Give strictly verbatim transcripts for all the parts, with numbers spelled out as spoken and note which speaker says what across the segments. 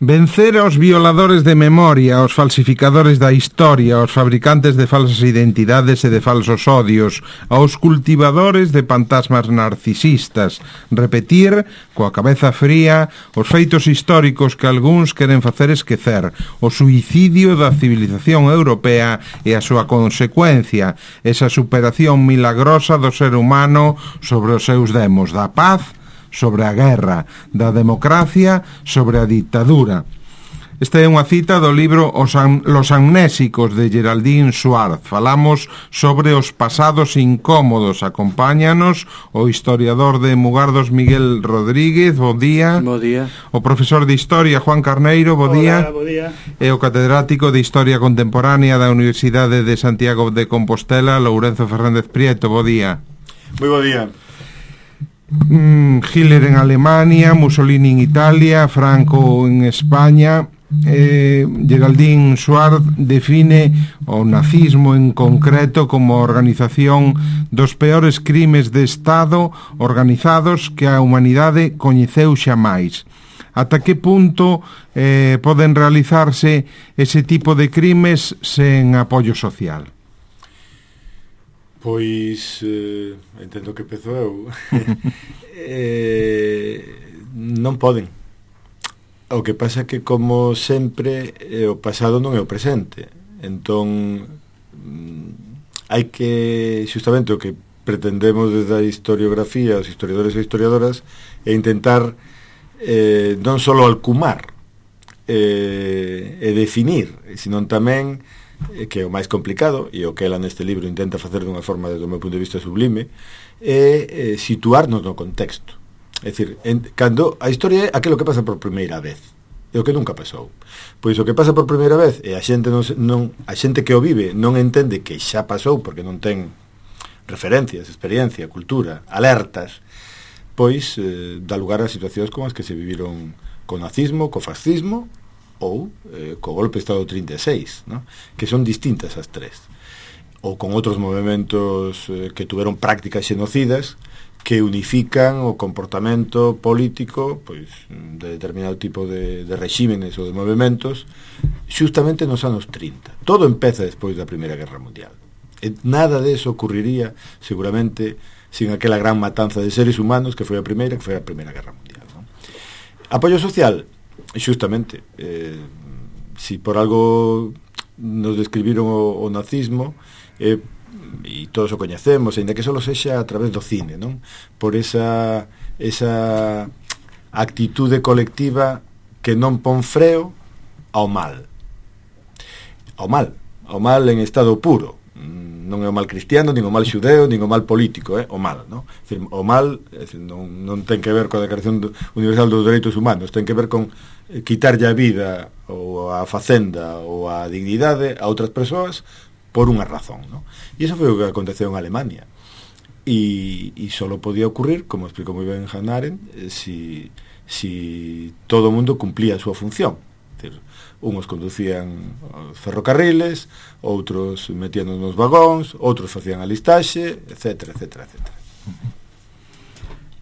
Speaker 1: Vencer aos violadores de memoria, aos falsificadores da historia, aos fabricantes de falsas identidades e de falsos odios, aos cultivadores de fantasmas narcisistas, repetir, coa cabeza fría, os feitos históricos que algúns queren facer esquecer, o suicidio da civilización europea e a súa consecuencia, esa superación milagrosa do ser humano sobre os seus demos da paz, sobre a guerra, da democracia, sobre a dictadura. Esta é unha cita do libro Os Am- Los Amnésicos de Geraldine Schwartz. Falamos sobre os pasados incómodos. Acompáñanos o historiador de Mugardos Miguel Rodríguez, bo día.
Speaker 2: Bo día.
Speaker 1: O profesor de Historia Juan Carneiro, bo día.
Speaker 3: Hola, bo día.
Speaker 1: E o catedrático de Historia Contemporánea da Universidade de Santiago de Compostela, Lourenzo Fernández Prieto, bo día.
Speaker 3: Moi bo día.
Speaker 1: Mm, Hitler en Alemania, Mussolini en Italia, Franco en España. eh, Geraldine Schwartz define o nazismo en concreto como a organización dos peores crimes de Estado organizados que a humanidade coñeceu xamais. Ata que punto eh, poden realizarse ese tipo de crimes sen apoio social?
Speaker 3: Pois eh, entendo que pezo eu. eh, non poden. O que pasa é que, como sempre, eh, o pasado non é o presente. Entón, mm, hai que, xustamente, o que pretendemos desde a historiografía, os historiadores e historiadoras, é intentar eh, non só alcumar eh, e definir, senón tamén, que é o máis complicado, e o que ela neste libro intenta facer dunha forma, desde o meu punto de vista, sublime, é eh, situarnos no contexto. É dicir, en, cando a historia é aquilo que pasa por primeira vez, é o que nunca pasou. Pois o que pasa por primeira vez, e a xente non, non a xente que o vive non entende que xa pasou, porque non ten referencias, experiencia, cultura, alertas, pois eh, dá lugar a situacións como as que se viviron co nazismo, co fascismo, ou eh, co golpe de Estado trinta e seis, ¿no? Que son distintas as tres, ou con outros movimentos eh, que tuveron prácticas xenocidas que unifican o comportamento político, pois, de determinado tipo de, de regímenes ou de movimentos, xustamente nos anos trinta. Todo empeza despois da Primeira Guerra Mundial. E nada de eso ocurriría seguramente sin aquela gran matanza de seres humanos que foi a primeira, que foi a Primeira Guerra Mundial, ¿no? Apoio social, xustamente, eh, si por algo nos describiron o, o nazismo, eh, e todos o coñecemos, ainda que só sexa a través do cine, non? Por esa esa actitude colectiva que non pon freo ao mal. Ao mal, ao mal en estado puro. Non é o mal cristiano, nin o mal xudeo, nin o mal político, é eh? o mal, non? É dicir, o mal é dicir, non, non ten que ver coa Declaración Universal dos Dereitos Humanos, ten que ver con quitarlle a vida ou a facenda ou a dignidade a outras persoas por unha razón, non? E iso foi o que aconteceu en Alemania. E, e só podía ocurrir, como explicou moi ben Hannah Arendt, si, si todo o mundo cumplía a súa función. É dicir, uns conducían ferrocarriles, outros metíanos nos vagóns, outros facían a listaxe, etcétera, etcétera, etcétera.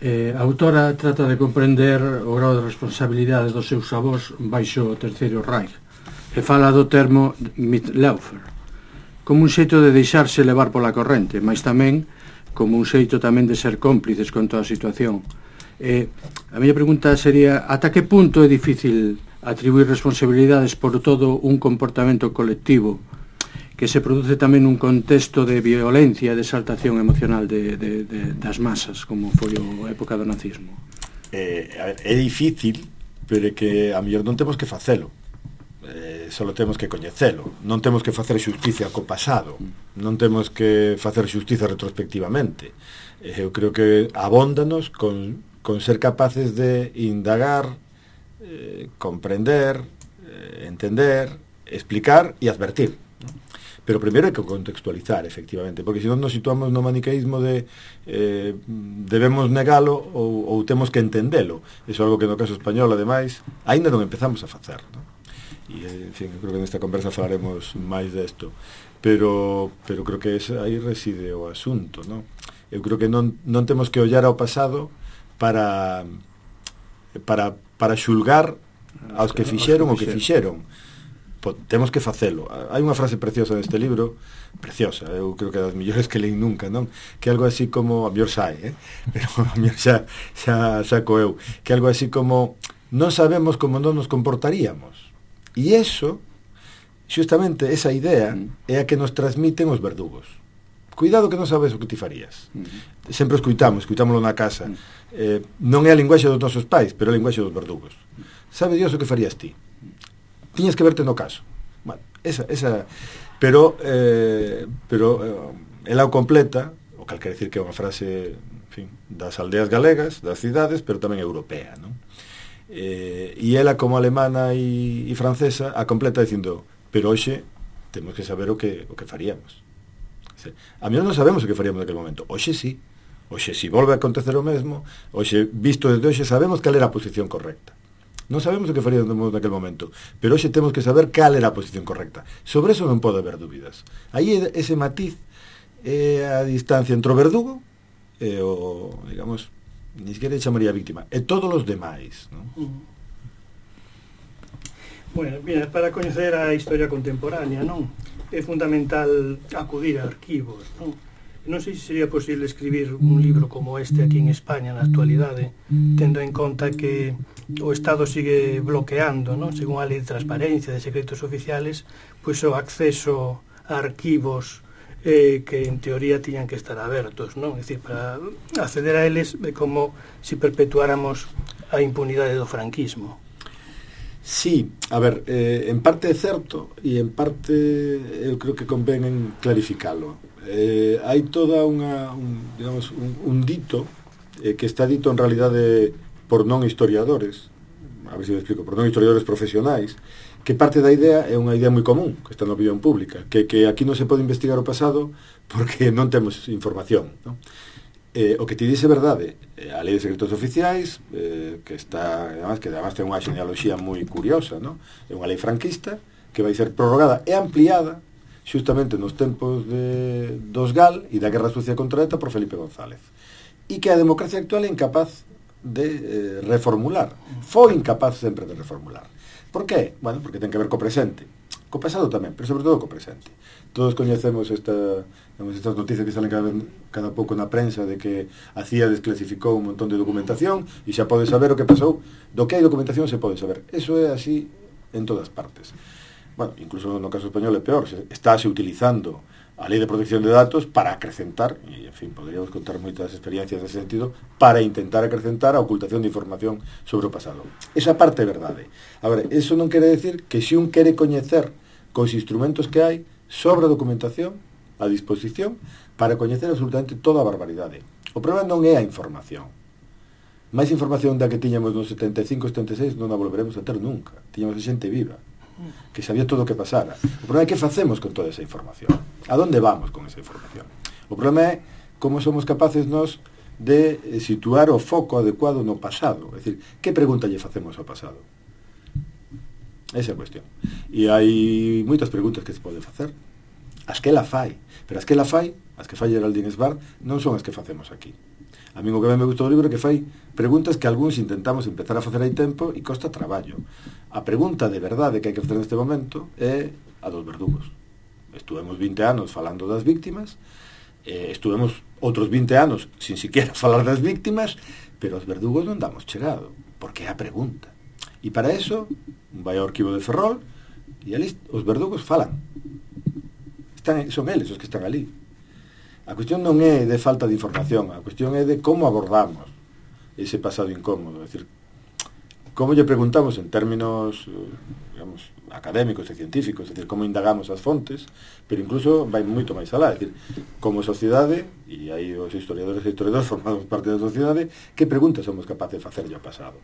Speaker 2: Eh, a autora trata de comprender o grau de responsabilidade dos seus avós baixo o Terceiro Reich e fala do termo Mitläufer como un xeito de deixarse levar pola corrente, mas tamén como un xeito tamén de ser cómplices con toda a situación. Eh, a miña pregunta sería: ata que punto é difícil atribuir responsabilidades por todo un comportamento colectivo que se produce tamén nun contexto de violencia e de exaltación emocional de, de, de, das masas, como foi a época do nazismo?
Speaker 3: Eh, a ver, é difícil, pero é que a mellor non temos que facelo. Eh, só temos que coñecelo. Non temos que facer xusticia co pasado, non temos que facer xusticia retrospectivamente. Eh, eu creo que abóndanos con, con ser capaces de indagar, eh, comprender, eh, entender, explicar e advertir, ¿no? Pero primeiro hai que contextualizar, efectivamente, porque se non nos situamos no maniqueísmo de eh, debemos negalo ou, ou temos que entendelo. Iso é algo que no caso español, ademais, aínda non empezamos a facer, ¿no? E, en fin, creo que nesta conversa falaremos máis desto, pero pero creo que ese, aí reside o asunto, ¿no? Eu creo que non, non temos que ollar ao pasado para para, para xulgar aos que fixeron o que fixeron. Po, temos que facelo. Hai unha frase preciosa neste libro, preciosa, eu creo que é das millores que leí nunca, non? Que algo así como, a mellor sai, eh? Pero a mellor xa, xa saco eu, que algo así como, non sabemos como non nos comportaríamos. E eso, xustamente esa idea, é a que nos transmiten os verdugos. Cuidado que non sabes o que ti farías. Sempre escuitamos, escuitámoslo na casa. Eh, non é a linguaxe dos nosos pais, pero é a linguaxe dos verdugos. Sabe Dios o que farías ti? Tiñas que verte no caso. Bueno, esa, esa, pero eh, pero eh, ela o completa, o cal quer decir que é unha frase, en fin, das aldeas galegas, das cidades, pero tamén europea, non? Eh, e ela como alemana e, e francesa a completa dicindo, pero hoxe temos que saber o que o que faríamos. A mí non sabemos o que faríamos naquele momento. Hoxe sí. Hoxe si volve a acontecer o mesmo, hoxe visto desde hoxe sabemos cal era a posición correcta. Non sabemos o que faríamos naquele momento, pero hoxe temos que saber cal era a posición correcta. Sobre eso non pode haber dúbidas. Aí ese matiz é a distancia entre o verdugo e o, digamos, ni siquiera chamaría víctima, e todos os demais, non?
Speaker 4: Uh-huh. Bueno, mira, para coñecer a historia contemporánea, non? É fundamental acudir a arquivos, non? Non sei se sería posible escribir un libro como este aquí en España na actualidade, tendo en conta que o Estado sigue bloqueando, non? Según a lei de transparencia de secretos oficiales, pois o acceso a arquivos eh, que en teoría tiñan que estar abertos, non? É dicir, para acceder a eles é como se perpetuáramos a impunidade do franquismo.
Speaker 3: Sí, a ver, eh, en parte é certo e en parte eu creo que convén en clarificalo. Eh, hai toda unha un, digamos, un, un dito eh, que está dito en realidade por non historiadores, a ver se me explico, por non historiadores profesionais, que parte da idea é unha idea moi común que está na opinión pública, que, que aquí non se pode investigar o pasado porque non temos información, non? Eh, o que ti dice verdade, eh, a lei de secretos oficiais, eh, que está, además, que además ten unha genealogía moi curiosa, non? É unha lei franquista que vai ser prorrogada e ampliada xustamente nos tempos de, dos Gal e da Guerra Sucia contra ETA por Felipe González, e que a democracia actual é incapaz de eh, reformular, foi incapaz sempre de reformular. Por qué? Bueno, porque ten que ver co presente, co pasado tamén, pero sobre todo co presente. Todos coñecemos esta, digamos, estas noticias que salen cada, cada pouco na prensa de que a C I A desclasificou un montón de documentación e xa pode saber o que pasou. Do que hai documentación se pode saber. Eso é así en todas partes. Bueno, incluso no caso español é peor, estáse utilizando a lei de protección de datos para acrecentar, e en fin, poderíamos contar moitas experiencias nesse sentido, para intentar acrecentar a ocultación de información sobre o pasado. Esa parte é verdade. Agora, eso non quere decir que se un quere coñecer cos instrumentos que hai sobre a documentación a disposición para coñecer absolutamente toda a barbaridade. O problema non é a información. máis información da que tiñamos nos setenta e cinco setenta e seis non a volveremos a ter nunca. Tiñamos a xente viva que sabía todo o que pasara. O problema é que facemos con toda esa información. A donde vamos con esa información? O problema é como somos capaces nós de situar o foco adecuado no pasado. É dicir, que pregunta lle facemos ao pasado? Esa é a cuestión. E hai moitas preguntas que se pode facer. As que ela fai. Pero as que ela fai, as que fai Geraldine Sbar, non son as que facemos aquí. A mí o que me gustou do libro é que fai preguntas que algúns intentamos empezar a facer hai tempo e costa traballo. A pregunta de verdade que hai que facer neste momento é a dos verdugos. Estuvemos vinte anos falando das víctimas, eh, estuvemos outros vinte anos sin siquiera falar das víctimas, pero os verdugos non damos chegado, porque é a pregunta. E para eso, vai ao arquivo de Ferrol e ali os verdugos falan. Están, son eles os que están ali. A cuestión non é de falta de información, a cuestión é de como abordamos ese pasado incómodo. É dicir, como lle preguntamos en términos, digamos, académicos e científicos, é dicir, como indagamos as fontes, pero incluso vai moito máis alá, é dicir, como sociedade, e aí os historiadores e historiadores formamos parte da sociedade, que preguntas somos capaces de facer ao pasado?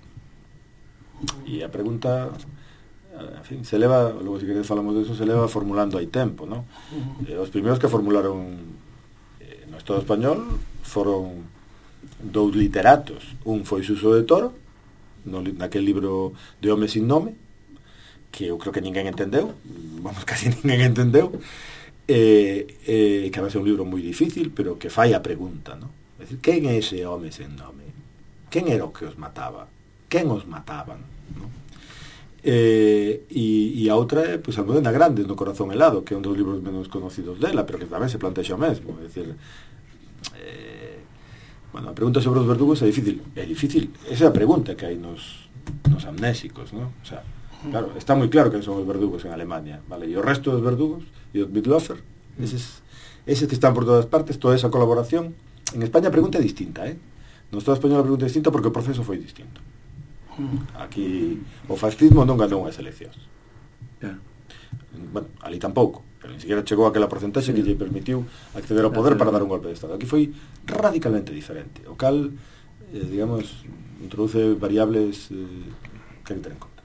Speaker 3: E a pregunta, en fin, se leva, logo se queredes falamos de eso, se leva formulando hai tempo, non? Eh, os primeiros que formularon eh, no Estado español foron dous literatos. Un foi Suso de Toro, no, naquel libro de Home sin nome, que eu creo que ninguén entendeu, vamos, casi ninguén entendeu, eh, eh, que vai ser un libro moi difícil, pero que fai a pregunta, non? É dicir, quen é ese home sen nome? Quen era o que os mataba? Quen os mataban? Non? Eh, e, e a outra é pois, Almudena Grandes no Corazón helado, que é un dos libros menos conocidos dela, pero que tamén se plantexa o mesmo, é dicir, eh, bueno, a pregunta sobre os verdugos é difícil, é difícil, esa é a pregunta que hai nos, nos amnésicos, ¿no? O sea, claro, está moi claro que son os verdugos en Alemania, vale, e o resto dos verdugos e os Mitläufer, eses, eses que están por todas partes, toda esa colaboración. En España a pregunta é distinta, eh? No Estado español a pregunta é distinta porque o proceso foi distinto. Aquí o fascismo non ganou as eleccións.
Speaker 2: Claro.
Speaker 3: Bueno, ali tampouco, pero ni siquiera chegou aquela porcentaxe que lle permitiu acceder ao poder para dar un golpe de Estado. Aquí foi radicalmente diferente, o cal, eh, digamos, introduce variables eh, que hai que ter en conta.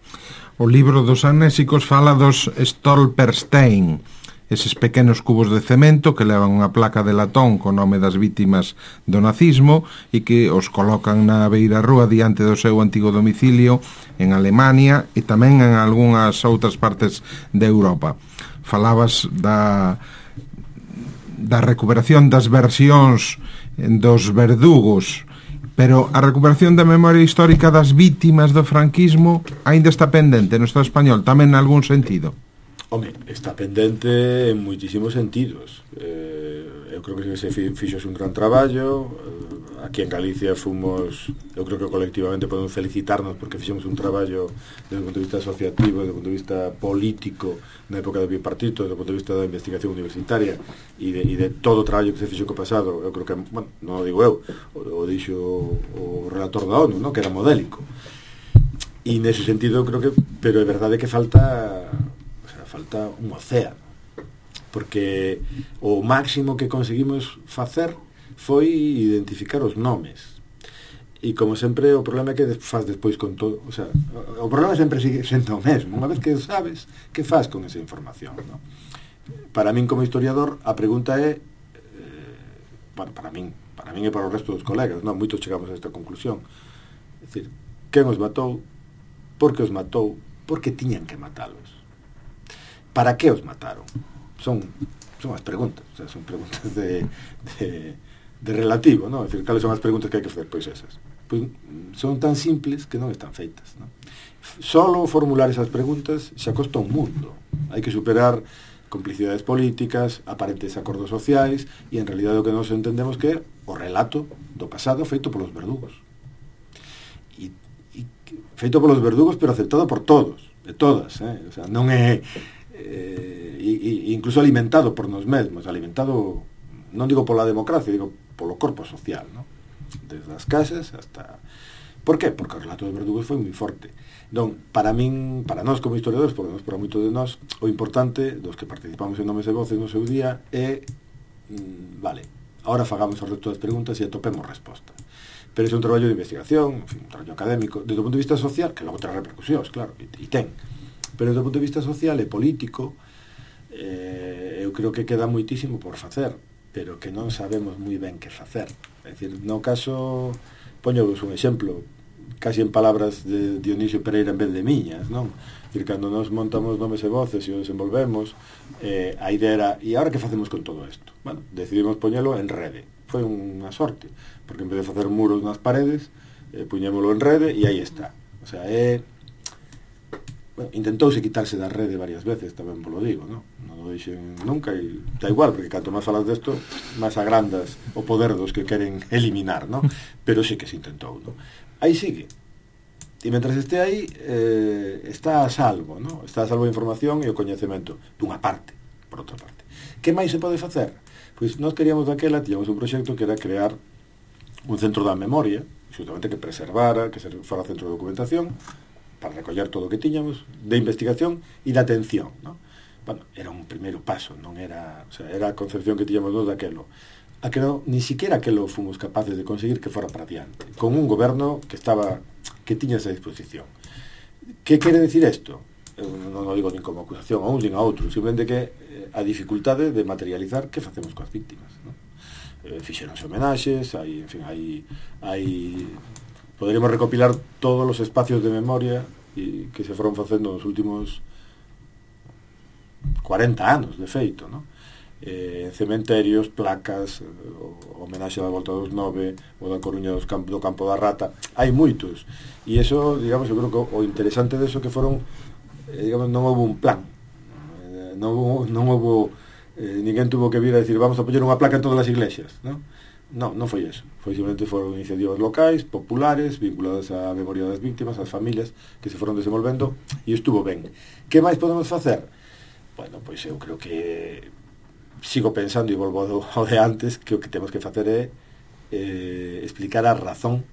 Speaker 1: O libro dos amnésicos fala dos Stolperstein, eses pequenos cubos de cemento que levan unha placa de latón co nome das vítimas do nazismo e que os colocan na beira rúa diante do seu antigo domicilio en Alemania e tamén en algunhas outras partes de Europa. Falabas da, da recuperación das versións dos verdugos, pero a recuperación da memoria histórica das vítimas do franquismo aínda está pendente no Estado español, tamén en algún sentido.
Speaker 3: Home, está pendente en moitísimos sentidos. Eh, eu creo que se fixo un gran traballo. Eh, aquí en Galicia fomos, eu creo que colectivamente podemos felicitarnos porque fixemos un traballo desde o punto de vista asociativo, desde o punto de vista político na época do bipartito, desde o punto de vista da investigación universitaria e de, e de todo o traballo que se fixo co pasado. Eu creo que, bueno, non o digo eu, o, o dixo o relator da ONU, ¿no? Que era modélico. E nese sentido creo que, pero é verdade que falta falta un océano, porque o máximo que conseguimos facer foi identificar os nomes, e como sempre o problema é que faz despois con todo, o sea, o problema sempre sigue sendo o mesmo, unha vez que sabes que faz con esa información, ¿no? Para min como historiador a pregunta é eh, bueno, para min para min e para o resto dos colegas, non? Moitos chegamos a esta conclusión, é dicir, quen os matou, por que os matou, por que tiñan que matalos, para que os mataron. Son, son as preguntas, o sea, son preguntas de, de, de relativo, ¿no? É dicir, cales son as preguntas que hai que facer? Pois esas. Pois son tan simples que non están feitas, ¿no? Solo formular esas preguntas xa costa un mundo. Hai que superar complicidades políticas, aparentes acordos sociais, e en realidad o que nos entendemos que é o relato do pasado feito polos verdugos. E, e feito polos verdugos, pero aceptado por todos, de todas, eh? O sea, non é Eh, e, e incluso alimentado por nos mesmos, alimentado, non digo pola democracia, digo polo corpo social, ¿no? Desde as casas hasta... Por qué? Porque o relato dos verdugos foi moi forte. Non, para min, para nós como historiadores, por nós, para moitos de nós, o importante dos que participamos en Nomes e Voces no seu día é, mm, vale, ahora fagamos o resto das preguntas e atopemos resposta. Pero é un traballo de investigación, en fin, un traballo académico, desde o punto de vista social, que logo trae repercusións, claro, e, e ten. Pero desde o punto de vista social e político, eh, eu creo que queda moitísimo por facer, pero que non sabemos moi ben que facer. É dicir, no caso, poñovos un exemplo, casi en palabras de Dionisio Pereira en vez de miñas, non? É dicir, cando nos montamos Nomes e Voces e o desenvolvemos, eh, a idea era, e agora que facemos con todo isto? Bueno, decidimos poñelo en rede. Foi unha sorte, porque en vez de facer muros nas paredes, eh, puñémolo en rede e aí está. O sea, é... Bueno, intentouse quitarse da rede varias veces, tamén vos lo digo, non? Non o dixen nunca, e da igual, porque canto máis falas desto, máis agrandas o poder dos que queren eliminar, non? Pero sí que se intentou, non? Aí sigue. E mentras este aí, eh, está a salvo, non? Está a salvo a información e o coñecemento, dunha parte, por outra parte. Que máis se pode facer? Pois nós queríamos daquela, tiñamos un proxecto que era crear un centro da memoria, justamente que preservara, que fora centro de documentación, para recoller todo o que tiñamos, de investigación e de atención, ¿no? Bueno, era un primeiro paso, non era, o sea, era a concepción que tiñamos nós daquelo. Aquelo, ni siquiera aquelo fomos capaces de conseguir que fora para diante, con un goberno que estaba, que tiña esa disposición. Que quere decir isto? Eu non o digo nin como acusación a un nin a outro, simplemente que eh, a dificultade de materializar que facemos coas víctimas, ¿no? Eh, fixeronse homenaxes, hai, en fin, hai, hai poderíamos recopilar todos os espacios de memoria e que se foron facendo nos últimos cuarenta anos, de feito, ¿no? eh, en cementerios, placas, o homenaxe da Volta dos Nove, ou da Coruña dos campo, do Campo da Rata, hai moitos, e iso, digamos, eu creo que o interesante deso que foron, eh, digamos, non houve un plan, eh, non houve, non houve eh, ninguén tuvo que vir a decir vamos a poñer unha placa en todas as iglesias, non? Non, non foi eso, foi simplemente foron iniciativas locais, populares, vinculadas á memoria das víctimas, ás familias que se foron desenvolvendo, e estuvo ben. Que máis podemos facer? Bueno, pois eu creo que sigo pensando, e volvo ao de antes, que o que temos que facer é eh, explicar a razón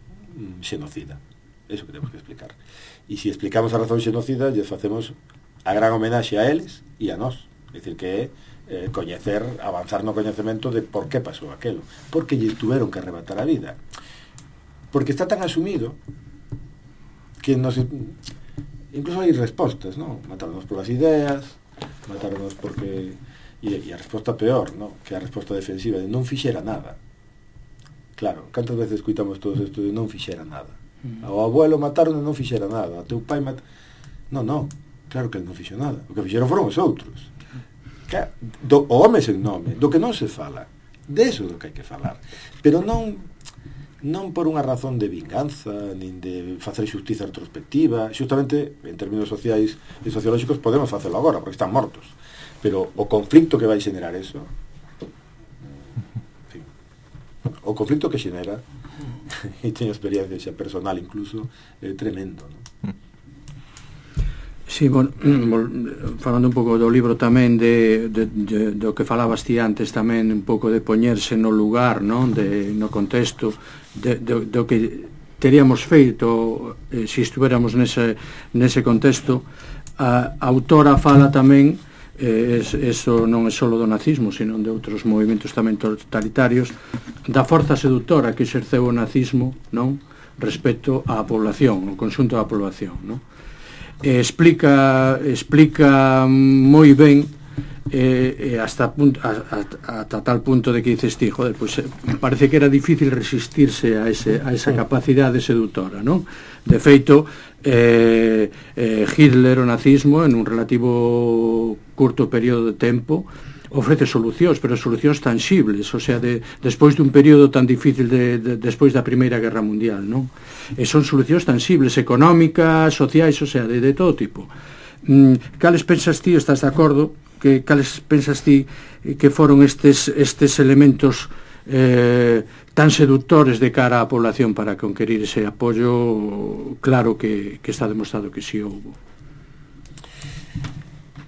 Speaker 3: xenocida. Eso que temos que explicar. E se explicamos a razón xenocida, lle facemos a gran homenaxe a eles e a nós. É dicir, que é eh, coñecer, avanzar no coñecemento de por que pasou aquelo, porque lle tuvieron que arrebatar a vida, porque está tan asumido que nos, incluso hai respostas, ¿no? Matarnos polas ideas, matarnos porque e, e a resposta peor, ¿no? Que a resposta defensiva de non fixera nada. Claro, cantas veces escuitamos todos isto de non fixera nada, ao abuelo mataron e non fixera nada, a teu pai mat... non, non, claro que ele non fixo nada, o que fixeron foron os outros. Do, o home sen nome, do que non se fala, de eso do que hai que falar, pero non non por unha razón de vinganza nin de facer xustiza retrospectiva. Xustamente en términos sociais e sociolóxicos podemos facelo agora porque están mortos, pero o conflicto que vai xenerar eso, en fin, o conflicto que xenera, e teño experiencia xa personal incluso, é tremendo, non?
Speaker 2: Sí, bueno, falando un pouco do libro tamén de, de, de, do que falabas ti antes tamén, un pouco de poñerse no lugar, non? De, no contexto de, de, do que teríamos feito eh, se estuéramos nese, nese contexto. A, a autora fala tamén, eh, es, eso non é só do nazismo, sino de outros movimentos tamén totalitarios, da forza seductora que exerceu o nazismo, non? Respecto á población, o conxunto da población, non? Eh, explica explica moi ben eh, hasta, punto, hasta, hasta tal punto de que dices ti, joder, pues, eh, parece que era difícil resistirse a, ese, a esa capacidade seductora, non? De feito, eh, eh, Hitler, o nazismo, en un relativo curto período de tempo, ofrece solucións, pero solucións tangibles, o sea, de, despois dun período tan difícil de, de, despois da Primeira Guerra Mundial, non? E son solucións tangibles, económicas, sociais, o sea, de, de todo tipo. Mm, cales pensas ti, estás de acordo, que cales pensas ti que foron estes, estes elementos eh, tan seductores de cara á población para conquerir ese apoio? Claro que, que está demostrado que si houbo.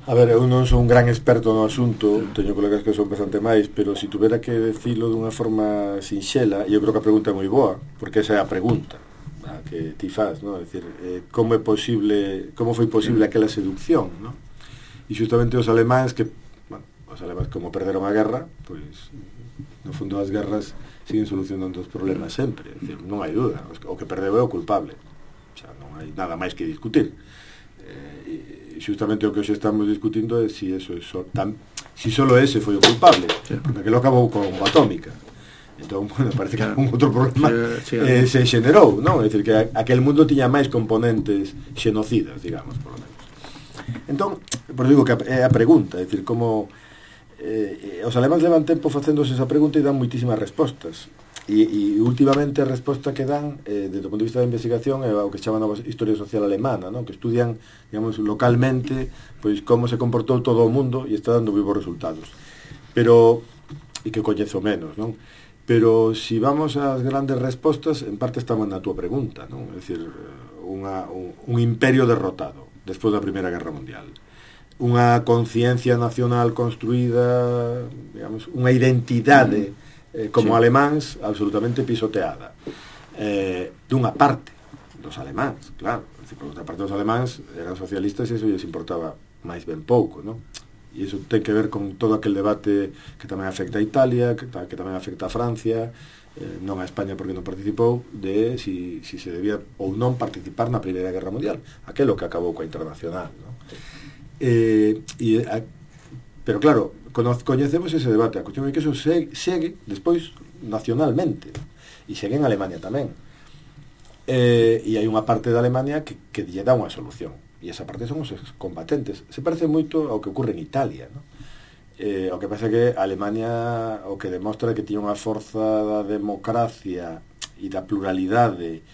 Speaker 3: A ver, eu non sou un gran experto no asunto, teño colegas que son bastante máis, pero se si tuvera que decirlo dunha forma sinxela, eu creo que a pregunta é moi boa, porque esa é a pregunta a que ti faz, ¿no? É dicir, eh, como é posible, como foi posible aquela seducción, ¿no? E justamente os alemáns que, bueno, os alemáns como perderon a guerra, pois no fundo as guerras siguen solucionando os problemas sempre, é dicir, non hai duda, o que perdeu é o culpable, xa non hai nada máis que discutir. Eh, e justamente o que hoxe estamos discutindo é si eso é so, tan, si solo ese foi o culpable, sí, porque aquilo acabou con bomba atómica. Entón, bueno, parece que claro, un outro problema sí, sí, eh, se xenerou, non? É dicir, que aquel mundo tiña máis componentes xenocidas, digamos, por lo menos. Entón, por digo que é a pregunta, é dicir, como eh, os alemáns levan tempo facéndose esa pregunta e dan moitísimas respostas. E, e últimamente a resposta que dan eh, desde o punto de vista da investigación é o que se chama nova historia social alemana, ¿no? Que estudian, digamos, localmente pois como se comportou todo o mundo e está dando vivos resultados, pero e que coñezo menos, non? Pero se si vamos ás grandes respostas, en parte estamos na túa pregunta, non? É dicir, unha, un, un imperio derrotado despois da Primeira Guerra Mundial, unha conciencia nacional construída, digamos, unha identidade mm. Eh, como sí, alemáns absolutamente pisoteada, eh, dunha parte dos alemáns, claro, por outra parte dos alemáns eran socialistas e iso lles importaba máis ben pouco, non? E iso ten que ver con todo aquel debate que tamén afecta a Italia, que, que tamén afecta a Francia, eh, non a España porque non participou, de si, si se debía ou non participar na Primeira Guerra Mundial, aquelo que acabou coa Internacional, non? Eh, e a, pero claro, coñecemos ese debate, a cuestión é que eso segue, segue despois nacionalmente, e segue en Alemania tamén, eh, e hai unha parte de Alemania que, que lle dá unha solución, e esa parte son os combatentes. Se parece moito ao que ocurre en Italia, ¿no? Eh, o que pasa é que Alemania o que demostra que tiña unha forza da democracia e da pluralidade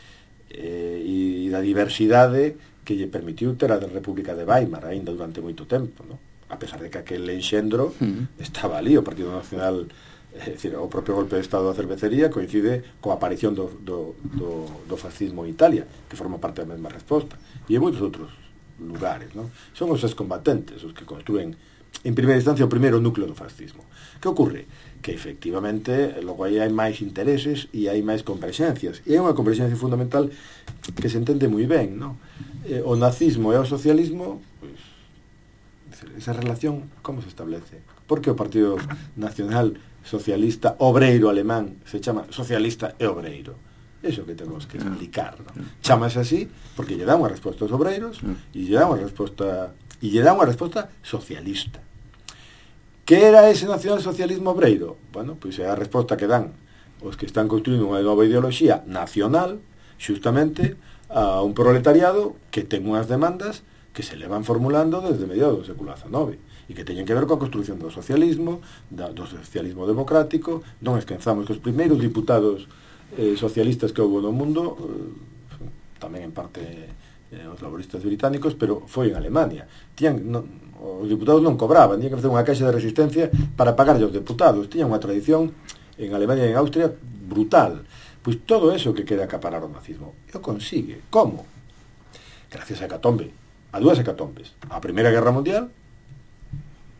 Speaker 3: eh, e da diversidade que lle permitiu ter a República de Weimar aínda durante moito tempo, no? A pesar de que aquel enxendro mm. estaba ali, o Partido Nacional, é dicir, o propio golpe de estado da cervecería coincide coa aparición do, do, do, do fascismo en Italia, que forma parte da mesma resposta, e en moitos outros lugares, no? Son os excombatentes os que construen en primeira instancia o primeiro núcleo do fascismo. Que ocorre? Que efectivamente logo aí hai máis intereses e hai máis converxencias, e hai unha converxencia fundamental que se entende moi ben, no? Eh, o nazismo e o socialismo, pues, esa relación como se establece? Porque o Partido Nacional Socialista Obreiro Alemán se chama socialista e obreiro? Eso que temos que explicar, no? Chámase así porque lle dá unha resposta aos obreiros e lle dá unha resposta e lle dá unha resposta socialista. Que era ese nacionalsocialismo obreiro? Bueno, pois é a resposta que dan os que están construindo unha nova ideoloxía nacional, xustamente a un proletariado que ten unhas demandas que se le van formulando desde mediados do século diecinueve e que teñen que ver coa construción do socialismo, do socialismo democrático. Non esquezamos que os primeiros diputados eh, socialistas que houve no mundo, eh, tamén en parte eh, os laboristas británicos, pero foi en Alemania. Tían, non, os diputados non cobraban, tiñan que facer unha caixa de resistencia para pagar aos deputados. Tiñan unha tradición en Alemania e en Austria brutal. Pois todo eso que quere acaparar o nazismo e o consigue. Como? Gracias a hecatombe, a dúas hecatombes. A Primeira Guerra Mundial,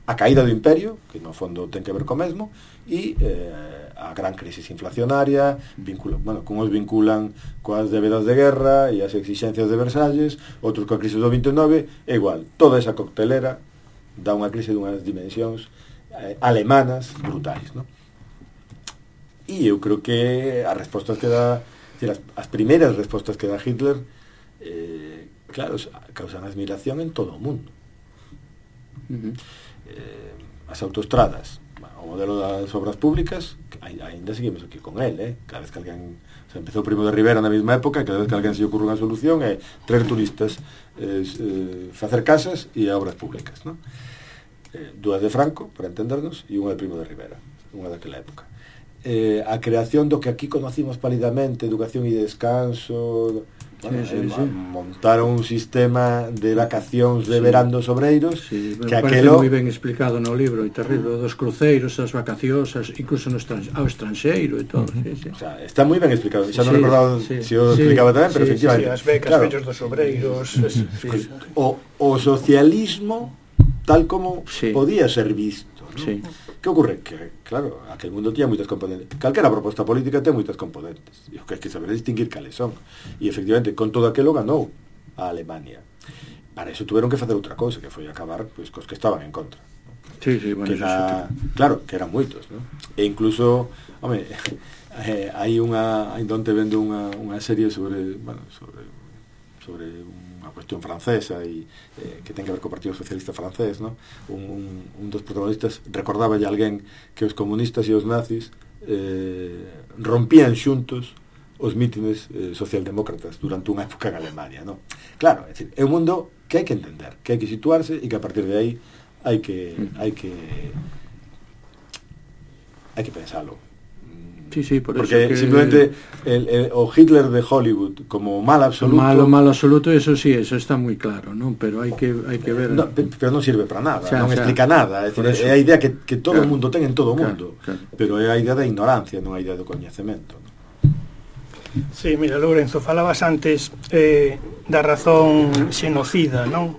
Speaker 3: a caída do imperio, que no fondo ten que ver co mesmo, e eh, a gran crisis inflacionaria, vincula, bueno, como os vinculan coas débedas de guerra e as exixencias de Versalles, outros coa crisis do vinte e nove, é igual, toda esa coctelera dá unha crise dunhas dimensións eh, alemanas brutais, non? E eu creo que as respostas que dá, decir, as, as primeiras respostas que dá Hitler, eh, claro, causan admiración en todo o mundo. Uh-huh. Eh, as autoestradas, o modelo das obras públicas, ainda seguimos aquí con el, eh? Cada vez que alguén se empezou o Primo de Rivera na mesma época, cada vez que alguén se ocurre unha solución é traer turistas, eh, eh, facer casas e obras públicas, ¿no? Eh, dúas de Franco, para entendernos, e unha de Primo de Rivera, unha daquela época. Eh, a creación do que aquí conocimos pálidamente, educación e descanso, bueno, sí, sí, eh, sí. montaron un sistema de vacacións de sí. verán dos obreiros,
Speaker 2: sí,
Speaker 3: que
Speaker 2: aquelo moi ben explicado no libro, e terrible, dos cruceiros, as vacacións, incluso no estran... ao estranxeiro e todo, uh-huh. sí, sí.
Speaker 3: O sea, está moi ben explicado, xa non
Speaker 2: sí,
Speaker 3: recordaba
Speaker 2: sí,
Speaker 3: se si o
Speaker 2: sí,
Speaker 3: explicaba tamén,
Speaker 2: sí,
Speaker 3: pero efectivamente,
Speaker 4: sí, as becas,
Speaker 3: claro,
Speaker 4: fellos dos obreiros, uh-huh. sí, sí.
Speaker 3: O, o socialismo tal como sí. podía ser visto, ¿no? Sí. Que ocorre? Que, claro, aquel mundo tiña moitas componentes. Calquera proposta política ten moitas componentes. E o que hai que saber distinguir cales son. E, efectivamente, con todo aquilo ganou a Alemania. Para eso tuveron que facer outra cousa, que foi acabar pois, cos que estaban en contra, ¿no?
Speaker 2: Sí, sí, bueno,
Speaker 3: que era, claro, que eran moitos, ¿no? E incluso, home, eh, hai unha, hai donde vendo unha, unha serie sobre, bueno, sobre, sobre unha cuestión francesa e eh, que ten que ver co Partido Socialista francés, ¿no? Un, un, un dos protagonistas recordaba a alguén que os comunistas e os nazis eh, rompían xuntos os mítines eh, socialdemócratas durante unha época en Alemania, ¿no? Claro, é dicir, é un mundo que hai que entender, que hai que situarse e que a partir de aí hai que hai que hai que pensalo.
Speaker 2: Sí, sí, por
Speaker 3: porque
Speaker 2: eso que...
Speaker 3: simplemente el, el, o Hitler de Hollywood como mal absoluto,
Speaker 2: malo, malo absoluto, eso sí, eso está moi claro, ¿no? Pero hai que hai que ver,
Speaker 3: no, pero non sirve para nada, o sea,
Speaker 2: non
Speaker 3: o sea, explica nada, é, decir, é a idea que, que todo o
Speaker 2: claro,
Speaker 3: mundo ten en todo o
Speaker 2: claro,
Speaker 3: mundo,
Speaker 2: claro.
Speaker 3: Pero é a idea da ignorancia, non a idea do coñecemento, ¿no?
Speaker 4: Sí, mira, Lourenzo, falabas antes eh, da razón xenocida, non?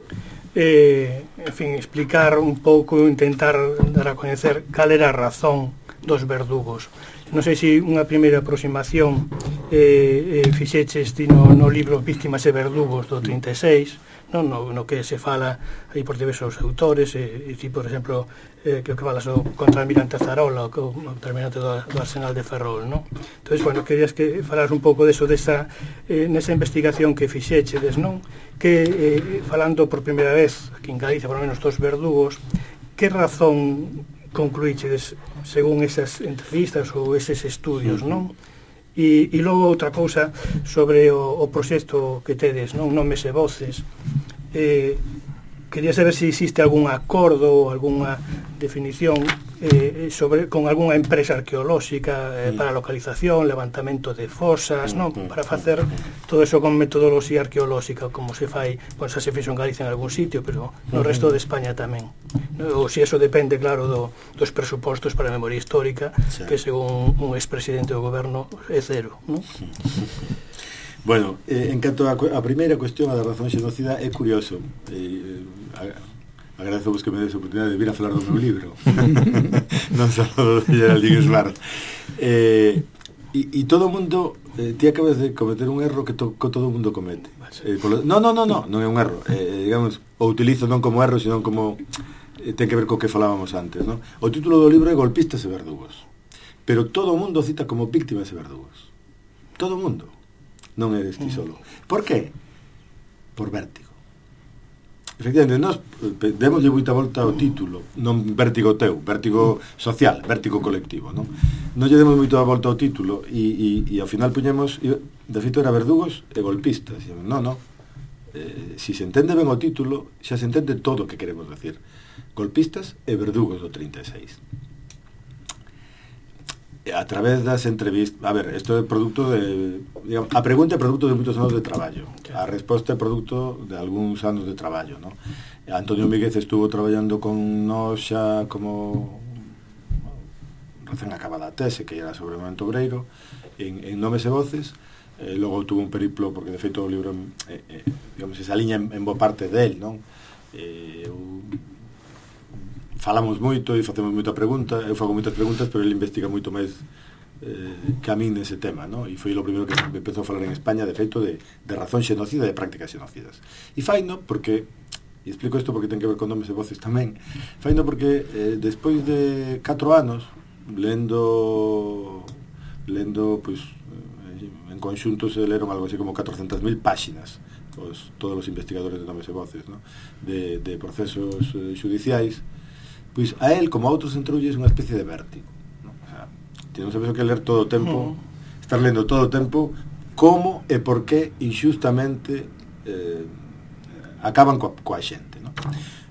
Speaker 4: Eh, en fin, explicar un pouco, intentar dar a coñecer cal era a razón dos verdugos. Non sei se unha primeira aproximación eh, eh, fixeches ti no, no libro Víctimas e Verdugos do trinta e seis, non? No, no que se fala aí por diversos autores, e, e ti, por exemplo, eh, que o que falas o contraalmirante Zarola, o, o terminante do, do Arsenal de Ferrol, non? Entón, bueno, querías que falas un pouco deso, desa, eh, nesa investigación que fixechedes, non? Que, eh, falando por primeira vez, aquí en Galicia, por lo menos dos verdugos, que razón concluíchedes según esas entrevistas ou eses estudios, non? E, e logo outra cousa sobre o, o proxecto que tedes, non? Nomes e voces. Eh, quería saber se existe algún acordo ou algunha definición eh, sobre con algunha empresa arqueolóxica eh, para localización, levantamento de fosas, non? Para facer todo eso con metodoloxía arqueolóxica, como se fai, pois xa se fixo en Galicia en algún sitio, pero no resto de España tamén. Ou se eso depende, claro, do, dos presupostos para a memoria histórica, sí, que según un expresidente do goberno é cero, non?
Speaker 3: Bueno, eh, en canto a, a primeira cuestión, a da razón xenocida, é curioso. Eh, a, Agradezo vos que me des a oportunidade de vir a falar do meu libro. Non só do Geraldine Smart. Eh, e, e todo o mundo, eh, ti acabas de cometer un erro que, to, que todo o mundo comete. Eh, polo, no, no, no, no, non é un erro. Eh, digamos, o utilizo non como erro, sino como eh, ten que ver co que falábamos antes, non? O título do libro é Golpistas e Verdugos. Pero todo o mundo cita como víctimas e verdugos. Todo o mundo. Non eres ti solo. Por qué? Por vértigo. Efectivamente, nós demoslle moita volta ao título, non vértigo teu, vértigo social, vértigo colectivo, non? Non lle demos moita volta ao título e, e, e ao final puñemos, e, de feito era verdugos e golpistas. E, non, non, eh, si se entende ben o título, xa se entende todo o que queremos decir. Golpistas e verdugos do trinta e seis. A través das entrevistas, a ver, isto é produto de, digamos, a pregunta é produto de moitos anos de traballo, a resposta é produto de algúns anos de traballo, ¿no? Antonio Míguez estuvo traballando con nós xa como recén acabada a tese, que era sobre o movemento obreiro, en, en Nomes e Voces, eh, logo tuvo un periplo, porque de feito o libro, eh, eh, digamos, esa liña en, en boa parte del, non? Eh, eu, falamos moito e facemos moita pregunta, eu fago moitas preguntas, pero ele investiga moito máis eh, que a min nese tema, no? E foi o primeiro que empezou a falar en España, de feito, de, de razón xenocida e de prácticas xenocidas. E faino porque, e explico isto porque ten que ver con Nomes e Voces tamén, faino porque eh, despois de catro anos, lendo, lendo, pois, eh, en conxunto se leron algo así como catrocentas mil páxinas, os, todos os investigadores de Nomes e Voces, no? de, de procesos eh, xudiciais, pois a él, como a outros entroulles, unha especie de vértigo, ¿no? O sea, ti non sabes o que ler todo o tempo, mm. estar lendo todo o tempo como e por que inxustamente eh, acaban coa, coa xente, ¿no?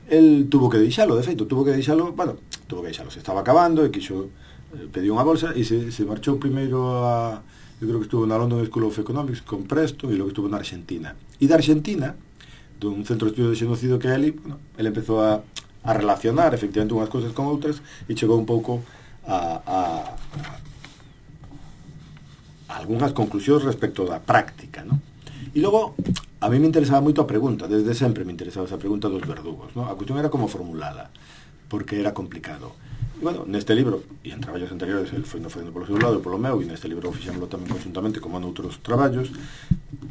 Speaker 3: El tuvo que deixalo, de feito, tuvo que deixalo, bueno, tuvo que deixalo, se estaba acabando e quixo eh, pediu unha bolsa e se, se marchou primeiro a, eu creo que estuvo na London School of Economics con Preston e logo estuvo na Argentina. E da Argentina, dun centro de estudio de xenocidio que é ali, bueno, ele empezou a a relacionar efectivamente unhas cousas con outras e chegou un pouco a, a, a algunhas conclusións respecto da práctica, ¿no? E logo, a mí me interesaba moito a pregunta, desde sempre me interesaba esa pregunta dos verdugos, ¿no? A cuestión era como formulala, porque era complicado. E, bueno, neste libro, e en traballos anteriores, el foi no facendo polo seu lado e polo meu, e neste libro fixémoslo tamén conjuntamente como noutros traballos,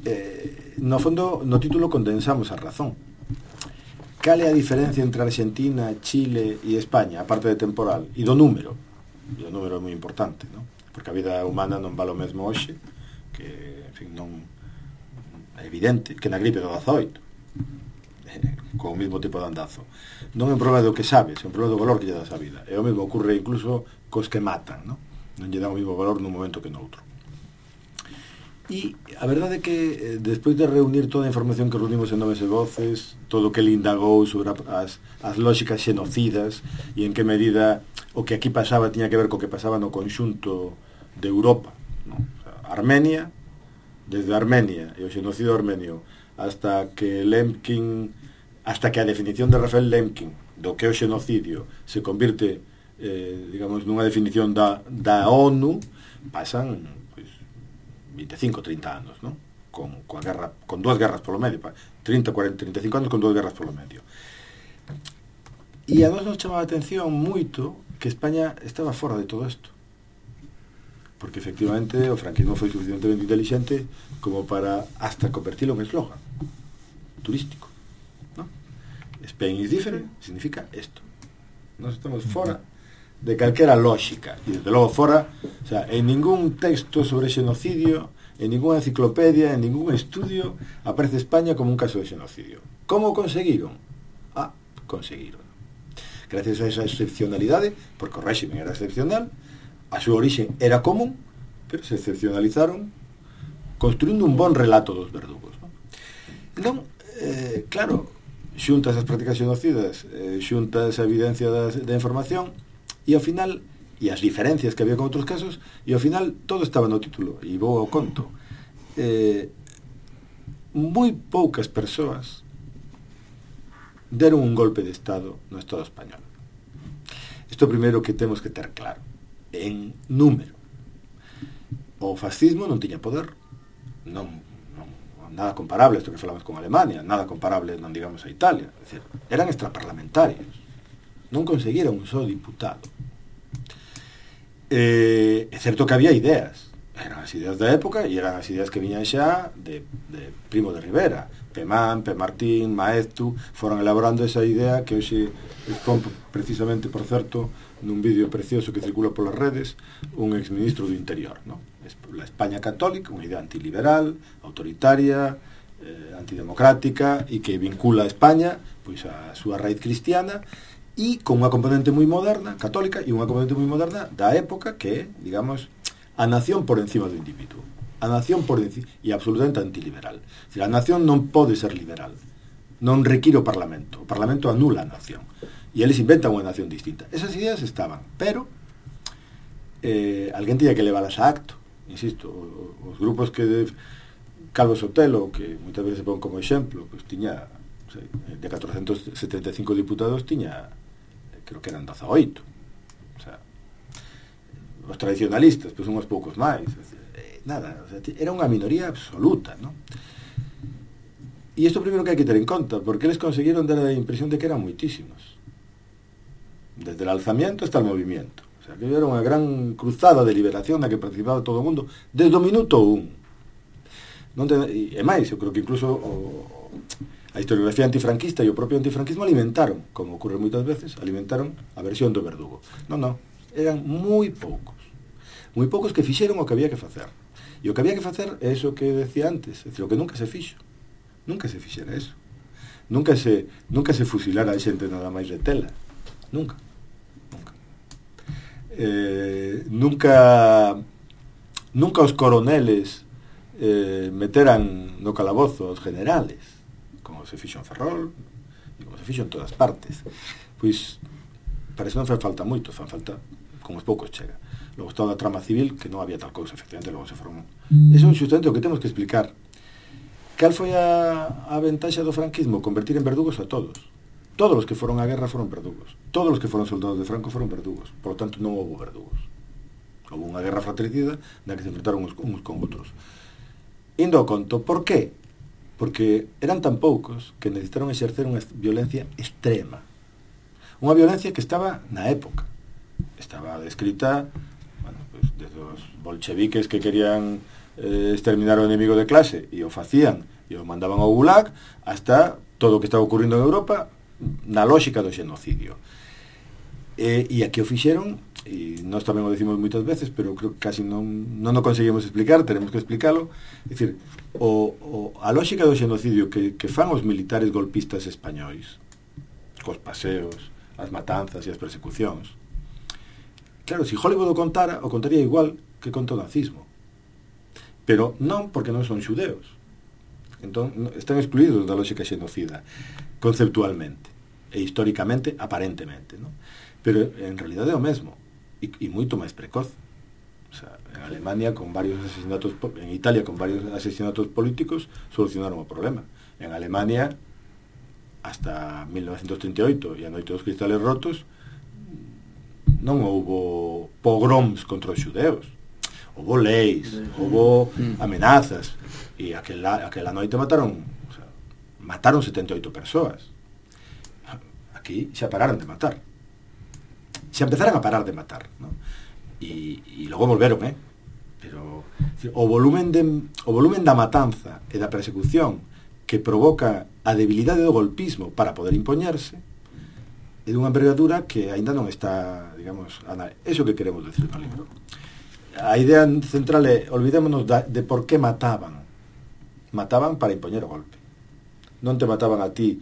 Speaker 3: eh, no fondo, no título condensamos a razón. Cal é a diferencia entre Argentina, Chile e España, a parte de temporal, e do número? E o número é moi importante, non? Porque a vida humana non vale o mesmo hoxe, que, en fin, non é evidente, que na gripe do dezaoito, eh, con o mesmo tipo de andazo. Non é un problema do que sabes, é un problema do valor que lle das a vida. E o mesmo ocurre incluso cos que matan, non? Non lle dá o mesmo valor nun momento que noutro. E a verdade é que eh, despois de reunir toda a información que reunimos en Nomes e Voces, todo o que ele indagou sobre as, as lógicas xenocidas e en que medida o que aquí pasaba tiña que ver co que pasaba no conxunto de Europa, ¿no? O sea, Armenia, desde Armenia e o xenocidio armenio hasta que Lemkin, hasta que a definición de Rafael Lemkin do que é o xenocidio se convirte eh, digamos nunha definición da, da ONU, pasan veinticinco, treinta anos, ¿no? Con, coa guerra, con dúas guerras polo medio, trinta, cuarenta, trinta e cinco anos con dúas guerras polo medio. E a nós nos chamaba a atención moito que España estaba fora de todo isto. Porque efectivamente o franquismo foi suficientemente inteligente como para hasta convertilo en eslogan turístico, ¿no? Spain is different significa isto. Nós estamos fora de calquera lógica, e desde logo fora, o sea, en ningún texto sobre xenocidio, en ninguna enciclopedia, en ningún estudio aparece España como un caso de xenocidio. Como conseguiron? Ah, conseguiron. Gracias a esa excepcionalidade, porque o réximen era excepcional, a súa orixe era común, pero se excepcionalizaron construindo un bon relato dos verdugos, ¿no? Entón, eh, claro, xuntas as prácticas xenocidas, eh, xuntas a evidencia da, da información, e ao final, e as diferencias que había con outros casos, e ao final todo estaba no título, e vou ao conto. Eh, moi poucas persoas deron un golpe de Estado no Estado español. Isto é o primeiro que temos que ter claro. En número. O fascismo non tiña poder, non, non nada comparable a isto que falamos con Alemania, nada comparable, non digamos, a Italia. É dicir, eran extraparlamentarios, non conseguiron un só diputado. Eh, é certo que había ideas, eran as ideas da época e eran as ideas que viñan xa de, de Primo de Rivera, Pemán, P. Martín, Maeztu, foron elaborando esa idea que hoxe expón precisamente, por certo, nun vídeo precioso que circula polas redes, un exministro do Interior, ¿no? La España católica, unha idea antiliberal, autoritaria, eh, antidemocrática, e que vincula a España pois a súa raíz cristiana, e con unha componente moi moderna, católica, e unha componente moi moderna da época que, digamos, a nación por encima do individuo. A nación por encima, e absolutamente antiliberal. Es decir, a nación non pode ser liberal. Non require o Parlamento. O Parlamento anula a nación. E eles inventan unha nación distinta. Esas ideas estaban, pero eh, alguén tiña que leválas a acto. Insisto, os grupos que de Calvo Sotelo, que moitas veces se pon como exemplo, pues tiña, sei, de catorcentos setenta e cinco diputados, tiña, creo que eran dezaoito. O sea, os tradicionalistas, pois pues, unhos poucos máis. Eh, nada, o sea, era unha minoría absoluta, ¿no? E isto primeiro que hai que ter en conta, porque eles conseguiron dar a impresión de que eran moitísimos. Desde el alzamiento hasta el movimiento. O sea, que era unha gran cruzada de liberación na que participaba todo o mundo desde o minuto un. Non te, e, e máis, eu creo que incluso o, a historiografía antifranquista e o propio antifranquismo alimentaron, como ocurre moitas veces, alimentaron a versión do verdugo. Non, non, eran moi poucos. Moi poucos que fixeron o que había que facer. E o que había que facer é iso que decía antes, é dicir, o que nunca se fixo. Nunca se fixera eso. Nunca se, nunca se fusilara a xente nada máis de tela. Nunca. Eh, nunca nunca os coroneles eh, meteran no calabozo os generales, como se fixo en Ferrol e como se fixo en todas partes. Pois parece non fan falta moito, fan falta con os poucos chega. Logo está da trama civil, que non había tal cousa, efectivamente, logo se formou. Eso é justamente o que temos que explicar. Cal foi a, a ventaxa do franquismo? Convertir en verdugos a todos. Todos os que foron á guerra foron verdugos. Todos os que foron soldados de Franco foron verdugos. Por lo tanto, non houve verdugos. Houve unha guerra fratricida na que se enfrentaron uns, uns con outros. Indo ao conto, por qué? Porque eran tan poucos que necesitaron exercer unha violencia extrema. Unha violencia que estaba na época. Estaba descrita, bueno, pues, desde os bolcheviques que querían eh, exterminar o enemigo de clase e o facían e o mandaban ao Gulag, hasta todo o que estaba ocurrindo en Europa na lógica do xenocidio. E, e aquí o fixeron, e nós tamén o decimos moitas veces, pero creo que casi non, non o conseguimos explicar, teremos que explicalo. É dicir, o, o, a lógica do xenocidio que, que fan os militares golpistas españois, cos paseos, as matanzas e as persecucións, claro, se Hollywood o contara, o contaría igual que conta o nazismo. Pero non porque non son xudeos. Entón, están excluídos da lógica xenocida, conceptualmente e históricamente, aparentemente, ¿no? Pero en realidade é o mesmo e, e moito máis precoz. O sea, en Alemania con varios asesinatos, en Italia con varios asesinatos políticos solucionaron o problema. En Alemania hasta mil novecientos trinta e oito e a noite dos cristales rotos non houbo pogroms contra os xudeos. Houbo leis, houbo amenazas e aquela, aquela noite mataron, o sea, mataron setenta e oito persoas. Aquí xa pararon de matar, xa empezaron a parar de matar, ¿no? E, e logo volveron, eh? Pero o volumen de, o volumen da matanza e da persecución que provoca a debilidade do golpismo para poder impoñerse é dunha envergadura que aínda non está, digamos, eso que queremos decir no libro. A idea central é, olvidémonos da, de por que mataban. Mataban para impoñer o golpe. Non te mataban a ti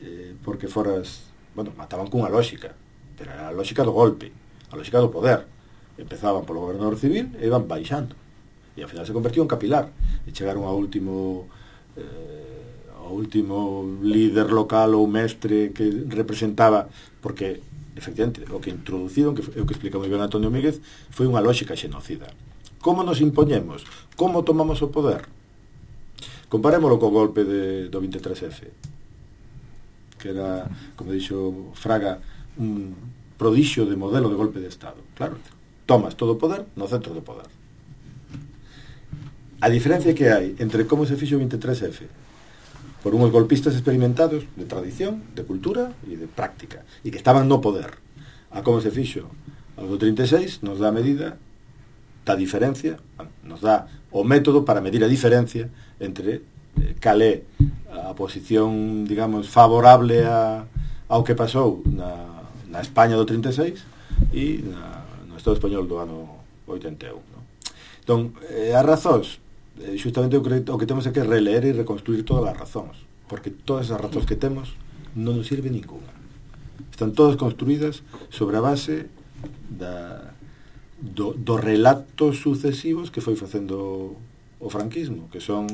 Speaker 3: eh, porque foras... Bueno, mataban cunha lógica, pero era a lógica do golpe, a lógica do poder. Empezaban polo gobernador civil e iban baixando. E ao final se convertiu en capilar. E chegaron ao último... Eh, o último líder local ou mestre que representaba, porque efectivamente o que introduciron, que é o que explica moi ben Antonio Míguez, foi unha lógica xenocida. Como nos impoñemos? Como tomamos o poder? Comparémoslo co golpe de, do vinte e tres efe, que era, como dixo Fraga, un prodixio de modelo de golpe de Estado. Claro, tomas todo o poder no centro do poder. A diferencia que hai entre como se fixo o vinte e tres efe por unhos golpistas experimentados de tradición, de cultura e de práctica, e que estaban no poder, a como se fixo o do trinta e seis, nos dá a medida da diferencia, nos dá o método para medir a diferencia entre eh, cal é a posición, digamos, favorable a, ao que pasou na, na España do trinta e seis e na, no Estado español do ano oitenta e un. No? Entón, eh, as razóns, eh, justamente o que, o que temos é que releer e reconstruir todas as razóns, porque todas as razóns que temos non nos sirve ninguna. Están todas construídas sobre a base da, do, dos relatos sucesivos que foi facendo o franquismo, que son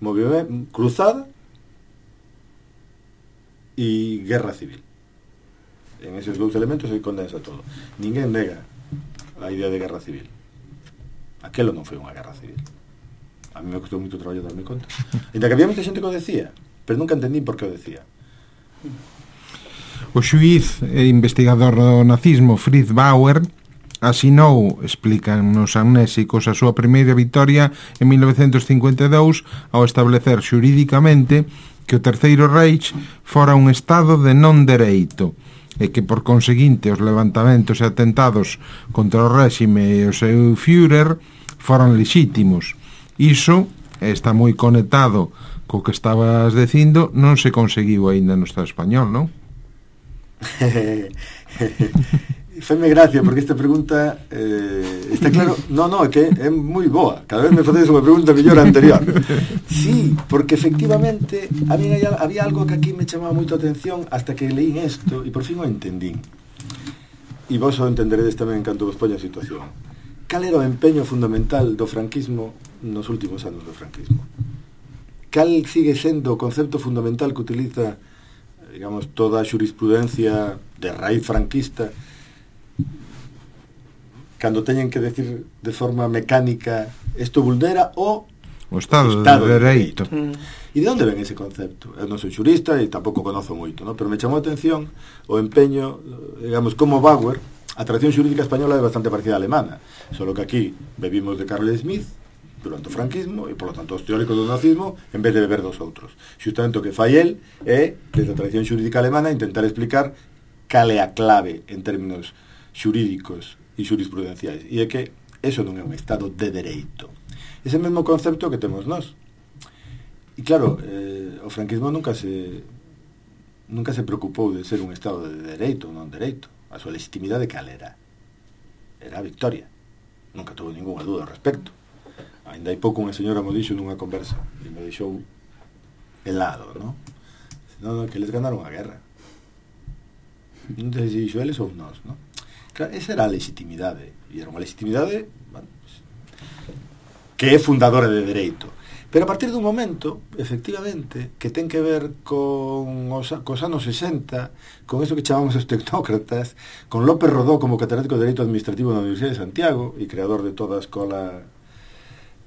Speaker 3: movimento, cruzada e guerra civil. En esos dous elementos se condensa todo. Ninguén nega a idea de guerra civil. Aquelo non foi unha guerra civil. A mí me costou moito traballo darme conta. Ainda que había moita xente que o decía, pero nunca entendí por que o decía.
Speaker 1: O xuíz e investigador do nazismo Fritz Bauer asinou, explican nos amnésicos, a súa primeira vitoria en mil novecentos cincuenta e dous ao establecer xurídicamente que o Terceiro Reich fora un estado de non dereito e que por conseguinte os levantamentos e atentados contra o réxime e o seu Führer foran lexítimos. Iso está moi conectado co que estabas dicindo, non se conseguiu aínda no Estado español, non?
Speaker 3: Feme gracia, porque esta pregunta eh, está claro, no, no, é que é moi boa, cada vez me facedes unha pregunta mellor a anterior. Sí, porque efectivamente a mí había algo que aquí me chamaba moito a atención hasta que leín isto e por fin o entendín, e vos o entenderedes tamén canto vos poña a situación. Cal era o empeño fundamental do franquismo nos últimos anos do franquismo? Cal sigue sendo o concepto fundamental que utiliza, digamos, toda a xurisprudencia de raíz franquista cando teñen que decir de forma mecánica isto vulnera o
Speaker 1: o Estado, o
Speaker 3: estado
Speaker 1: de Dereito.
Speaker 3: Mm. E de onde ven ese concepto? Eu non sou xurista e tampouco conozo moito, ¿no? Pero me chamou a atención o empeño, digamos, como Bauer, a tradición xurídica española é bastante parecida a alemana, solo que aquí bebimos de Carl Smith durante o franquismo e, polo tanto, os teóricos do nazismo en vez de beber dos outros. Xustamente o que fai el é, desde a tradición xurídica alemana, intentar explicar cal é a clave en términos xurídicos e xurisprudenciais, e é que eso non é un estado de dereito. Ese mesmo concepto que temos nós. E claro, eh, o franquismo nunca se nunca se preocupou de ser un estado de dereito ou non dereito. A súa legitimidade cal era? Era a victoria. Nunca tuvo ninguna dúda ao respecto. Ainda hai pouco unha señora mo dixo nunha conversa e me deixou helado, non? Non, non, que les ganaron a guerra. Non sei se dixo eles ou nós, non? Claro, esa era a legitimidade, e era unha legitimidade, bueno, que é fundadora de dereito. Pero a partir dun momento, efectivamente, que ten que ver con os, cos anos sesenta, con eso que chamamos os tecnócratas, con López Rodó como catedrático de Dereito Administrativo na Universidade de Santiago e creador de toda a escola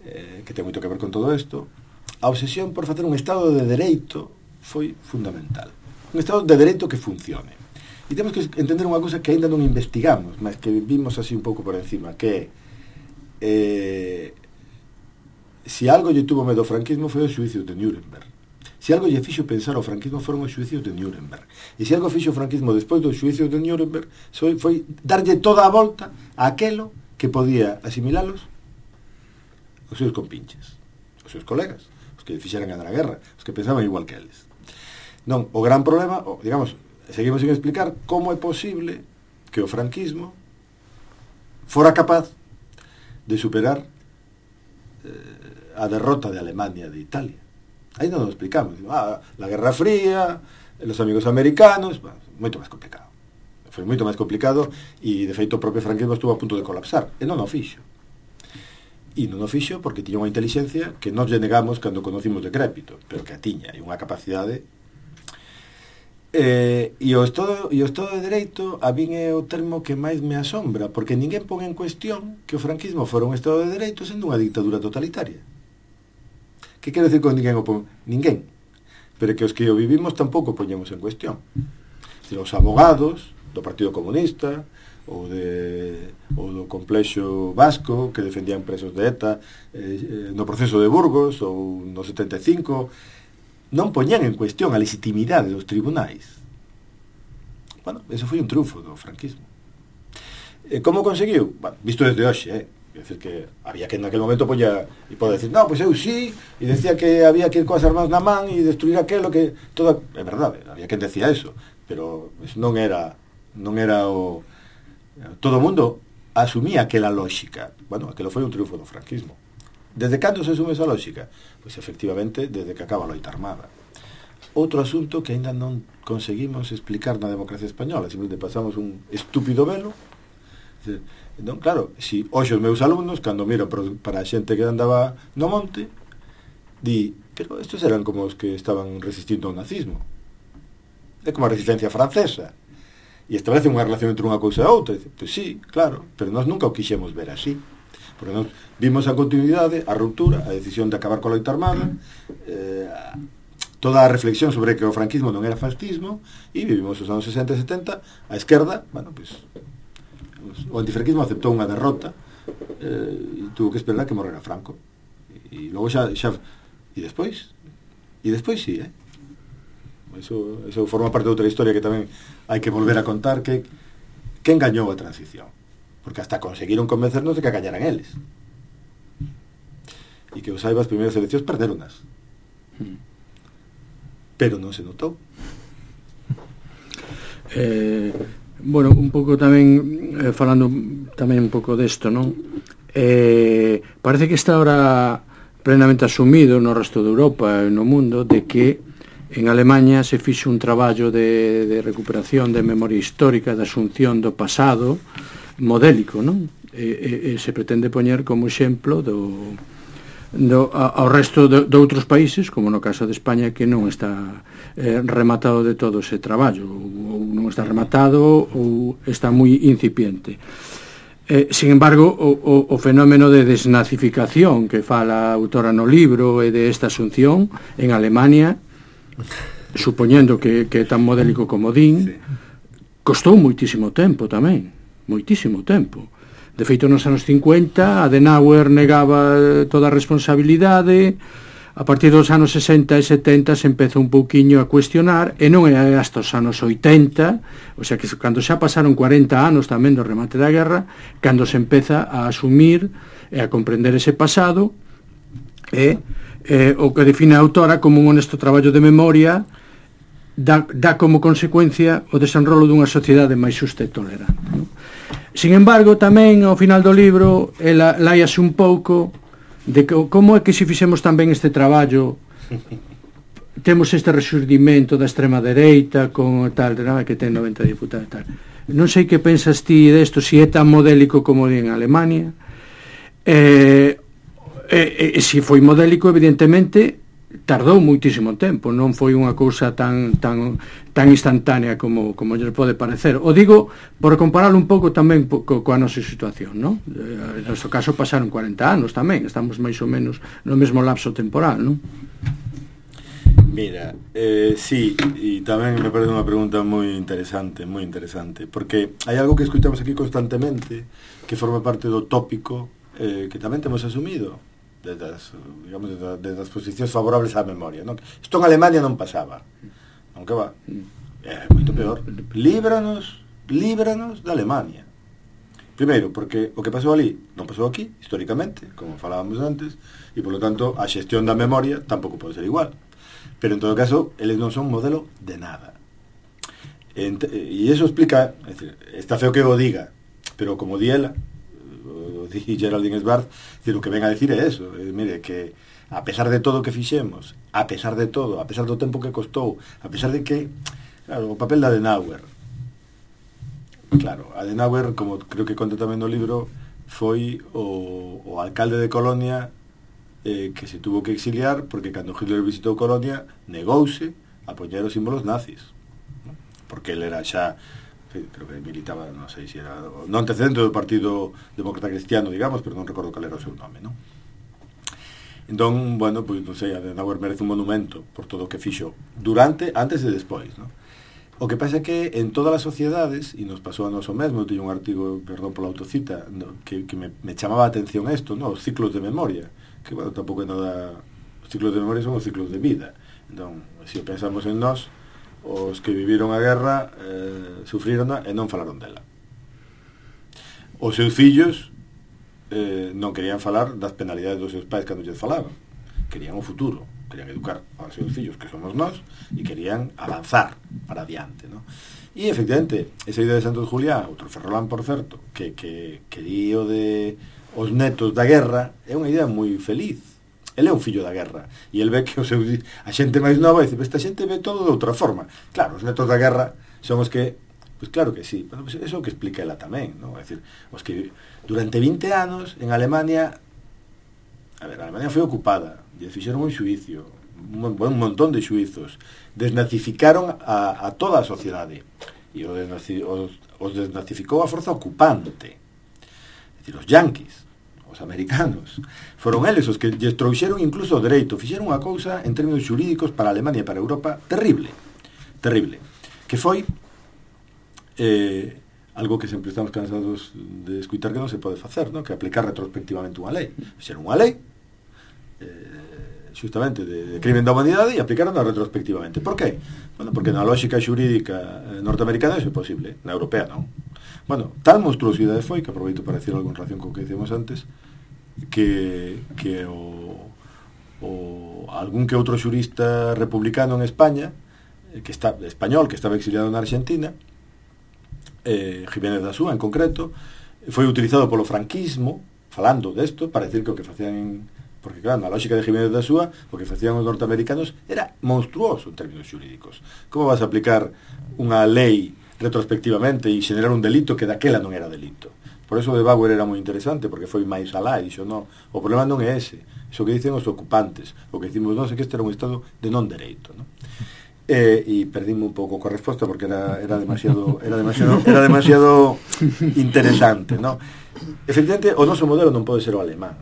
Speaker 3: eh, que ten moito que ver con todo isto, a obsesión por facer un estado de dereito foi fundamental. Un estado de dereito que funcione. E temos que entender unha cousa que aínda non investigamos, mas que vimos así un pouco por encima, que é eh, se algo lle tuvo medo ao franquismo foi os xuicios de Nuremberg. Se algo lle fixo pensar ao franquismo foron os xuicios de Nuremberg. E se algo fixo o franquismo despois dos xuicios de Nuremberg foi, foi darlle toda a volta a aquelo que podía asimilalos os seus compinches, os seus colegas, os que fixeran ganar a guerra, os que pensaban igual que eles. Non, o gran problema, o, digamos, seguimos sin explicar como é posible que o franquismo fora capaz de superar eh, a derrota de Alemania de Italia. Aí non lo explicamos. Ah, la Guerra Fría, los amigos americanos, bueno, moito máis complicado. Foi moito máis complicado e, de feito, o propio franquismo estuvo a punto de colapsar. E non o fixo. e non o fixo porque tiña unha inteligencia que nos lle negamos cando conocimos decrépito, pero que a tiña, e unha capacidade. Eh, e o Estado, e o Estado de Dereito a min é o termo que máis me asombra, porque ninguén pon en cuestión que o franquismo fora un Estado de Dereito sendo unha dictadura totalitaria. Que quero decir con ninguén o pon? Ninguén. Pero que os que o vivimos tampouco poñemos en cuestión. Decir, os abogados do Partido Comunista ou, de, ou do complexo vasco que defendían presos de ETA eh, no proceso de Burgos ou no setenta e cinco, non poñían en cuestión a legitimidade dos tribunais. Bueno, eso foi un triunfo do franquismo. E como conseguiu? Bueno, visto desde hoxe, eh? É dicir que había que naquele momento poña e pode decir, no, pois eu sí, e decía que había que ir coas armas na man e destruir aquelo que toda, é verdade, había que decía eso, pero eso non era non era o todo o mundo asumía aquela lógica. Bueno, aquelo foi un triunfo do franquismo. Desde cando se asume esa lógica? Pois efectivamente desde que acaba a loita armada. Outro asunto que aínda non conseguimos explicar na democracia española, simplemente pasamos un estúpido velo. Non, claro, si hoxe os meus alumnos, cando miro para a xente que andaba no monte, di, pero estos eran como os que estaban resistindo ao nazismo. É como a resistencia francesa. E establece unha relación entre unha cousa e outra. Pois sí, claro, pero nós nunca o quixemos ver así. Porque nós vimos a continuidade, a ruptura, a decisión de acabar coa loita armada, eh, toda a reflexión sobre que o franquismo non era fascismo, e vivimos os anos sesenta e setenta, a esquerda, bueno, pois, o antifranquismo aceptou unha derrota eh, e tuvo que esperar que morrera Franco. E, e logo xa, xa e despois, e despois sí, eh? Eso, eso forma parte de outra historia que tamén hai que volver a contar, que que engañou a transición. Porque hasta conseguiron convencernos de que gañaran eles. E que os saiba, as primeiras eleccións perderonas. Pero non se notou.
Speaker 2: Eh, bueno, un pouco tamén, eh, falando tamén un pouco desto, non? Eh, parece que está ahora plenamente asumido no resto de Europa e no mundo de que en Alemanha se fixo un traballo de, de recuperación de memoria histórica, de asunción do pasado, modélico, non? E, e, e se pretende poñer como exemplo do, do, ao resto de, de outros países, como no caso de España, que non está eh, rematado de todo ese traballo, ou, ou non está rematado ou está moi incipiente. Eh, sin embargo, o, o, o fenómeno de desnazificación que fala a autora no libro e de esta asunción en Alemania, supoñendo que, que é tan modélico como din, sí, costou moitísimo tempo tamén, moitísimo tempo. De feito, nos anos cincuenta, Adenauer negaba toda a responsabilidade. A partir dos anos sesenta e setenta se empeza un pouquiño a cuestionar, e non é hasta os anos oitenta, o sea que cando xa pasaron cuarenta anos tamén do remate da guerra, cando se empeza a asumir e a comprender ese pasado, e eh, o que define a autora como un honesto traballo de memoria dá, dá como consecuencia o desenrolo dunha sociedade máis xusta e tolerante, non? Sin embargo, tamén ao final do libro ela láiase un pouco de que, como é que se fixemos tamén este traballo, temos este resurdimento da extrema dereita con tal, que ten noventa diputados e tal. Non sei que pensas ti desto, se é tan modélico como en Alemania, eh, e, e se foi modélico, evidentemente tardou moitísimo tempo, non foi unha cousa tan tan tan instantánea como como lles pode parecer. O digo por compararlo un pouco tamén co, coa nosa situación, non? En noso caso pasaron cuarenta anos tamén, estamos máis ou menos no mesmo lapso temporal, non?
Speaker 3: Mira, eh, sí, e tamén me parece unha pregunta moi interesante, moi interesante, porque hai algo que escuchamos aquí constantemente que forma parte do tópico eh, que tamén temos asumido desde as, digamos, desde, desde as posicións favorables á memoria, non? Isto en Alemania non pasaba, non que va, é moito peor. Líbranos, líbranos da Alemania. Primeiro, porque o que pasou ali non pasou aquí, históricamente, como falábamos antes, e polo tanto a xestión da memoria tampouco pode ser igual. Pero en todo caso, eles non son modelo de nada. E iso explica, é dicir, está feo que o diga, pero como di ela, o di Geraldine Sbarth, o que ven a decir é eso, é, mire, que a pesar de todo o que fixemos, a pesar de todo, a pesar do tempo que costou, a pesar de que, claro, o papel de Adenauer, claro, Adenauer, como creo que conta tamén no libro, foi o, o alcalde de Colonia, eh, que se tuvo que exiliar porque cando Hitler visitou Colonia negouse a poñer os símbolos nazis, ¿no? Porque ele era xa, creo que militaba, non sei se era non antecedente do Partido Demócrata Cristiano, digamos, pero non recordo cal era o seu nome, non? Entón, bueno, pois, non sei, Adenauer merece un monumento por todo o que fixo durante, antes e despois, non? O que pasa é que en todas as sociedades, e nos pasou a nos o mesmo, eu teño un artigo, perdón pola autocita, no, que, que me, me chamaba a atención isto, no? Os ciclos de memoria, que, bueno, tampouco é nada... Os ciclos de memoria son os ciclos de vida. Entón, se pensamos en nós, os que viviron a guerra eh, sufriron e non falaron dela. Os seus fillos eh, non querían falar das penalidades dos seus pais cando lles falaban. Querían o futuro, querían educar aos seus fillos, que somos nós, e querían avanzar para adiante, ¿no? E, efectivamente, esa idea de Santos Julián, outro Ferrolán, por certo, que, que, que di o de os netos da guerra, é unha idea moi feliz. Ele é un fillo da guerra, e ele ve que o seu, a xente máis nova dice, esta xente ve todo de outra forma. Claro, os netos da guerra son os que, pois claro que sí, bueno, pues eso é o que explica ela tamén, ¿no? É dicir, os que durante vinte anos en Alemania, a ver, a Alemania foi ocupada, e fixeron un xuicio, un, un montón de xuizos, desnazificaron a, a toda a sociedade, e o desnazi, os, os desnazificou a forza ocupante, é dicir, os yanquis, os americanos, foron eles os que lles trouxeron incluso o dereito, fixeron unha cousa en términos xurídicos para Alemania e para Europa terrible, terrible, que foi eh, algo que sempre estamos cansados de escutar que non se pode facer, ¿no? Que aplicar retrospectivamente unha lei. Fixeron unha lei eh, justamente de, de crimen da humanidade e aplicaron retrospectivamente. Por qué? Bueno, porque na lógica xurídica norteamericana é posible, na europea non. Bueno, tal monstruosidade foi, que aproveito para decir algo en relación con o que decíamos antes, que, que o, o algún que outro xurista republicano en España, que está español, que estaba exiliado na Argentina, eh, Jiménez da Súa en concreto, foi utilizado polo franquismo, falando desto, para decir que o que facían en, porque claro, na lógica de Jiménez da Súa, o que facían os norteamericanos era monstruoso en términos xurídicos. Como vas a aplicar unha lei retrospectivamente e xenerar un delito que daquela non era delito? Por eso de Bauer era moi interesante, porque foi máis alá e dixo, no, o problema non é ese, iso que dicen os ocupantes, o que dicimos nós é que este era un estado de non dereito, non? Eh, e perdíme un pouco coa resposta porque era, era demasiado era demasiado era demasiado interesante, ¿no? Efectivamente, o noso modelo non pode ser o alemán,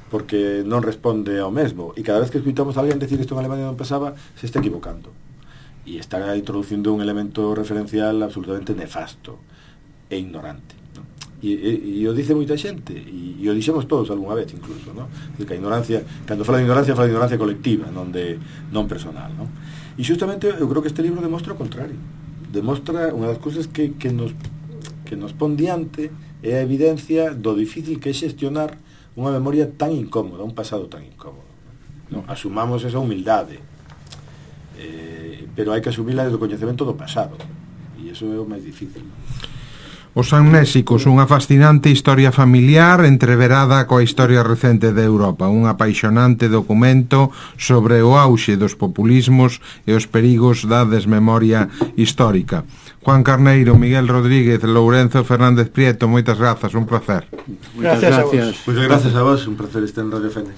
Speaker 3: porque non responde ao mesmo, e cada vez que escuitamos a alguén decir isto en Alemania non pasaba, se está equivocando e está introducindo un elemento referencial absolutamente nefasto e ignorante, ¿no? E, e, e o dice moita xente e, e o dixemos todos algunha vez incluso, ¿no? Que a ignorancia, cando fala de ignorancia fala de ignorancia colectiva, non de non personal, ¿no? E justamente eu creo que este libro demostra o contrario, demostra unha das cousas que, que nos que nos pon diante é a evidencia do difícil que é xestionar unha memoria tan incómoda, un pasado tan incómodo, ¿no? Asumamos esa humildade, eh, pero hai que asumila desde o coñecemento do pasado, e iso é o máis difícil, ¿no?
Speaker 1: Os amnésicos, unha fascinante historia familiar entreverada coa historia recente de Europa, un apaixonante documento sobre o auxe dos populismos e os perigos da desmemoria histórica. Juan Carneiro, Miguel Rodríguez, Lourenzo Fernández Prieto, moitas grazas, un placer.
Speaker 2: Moitas gracias.
Speaker 3: Moitas gracias a vos, un placer estar en Radio Fene.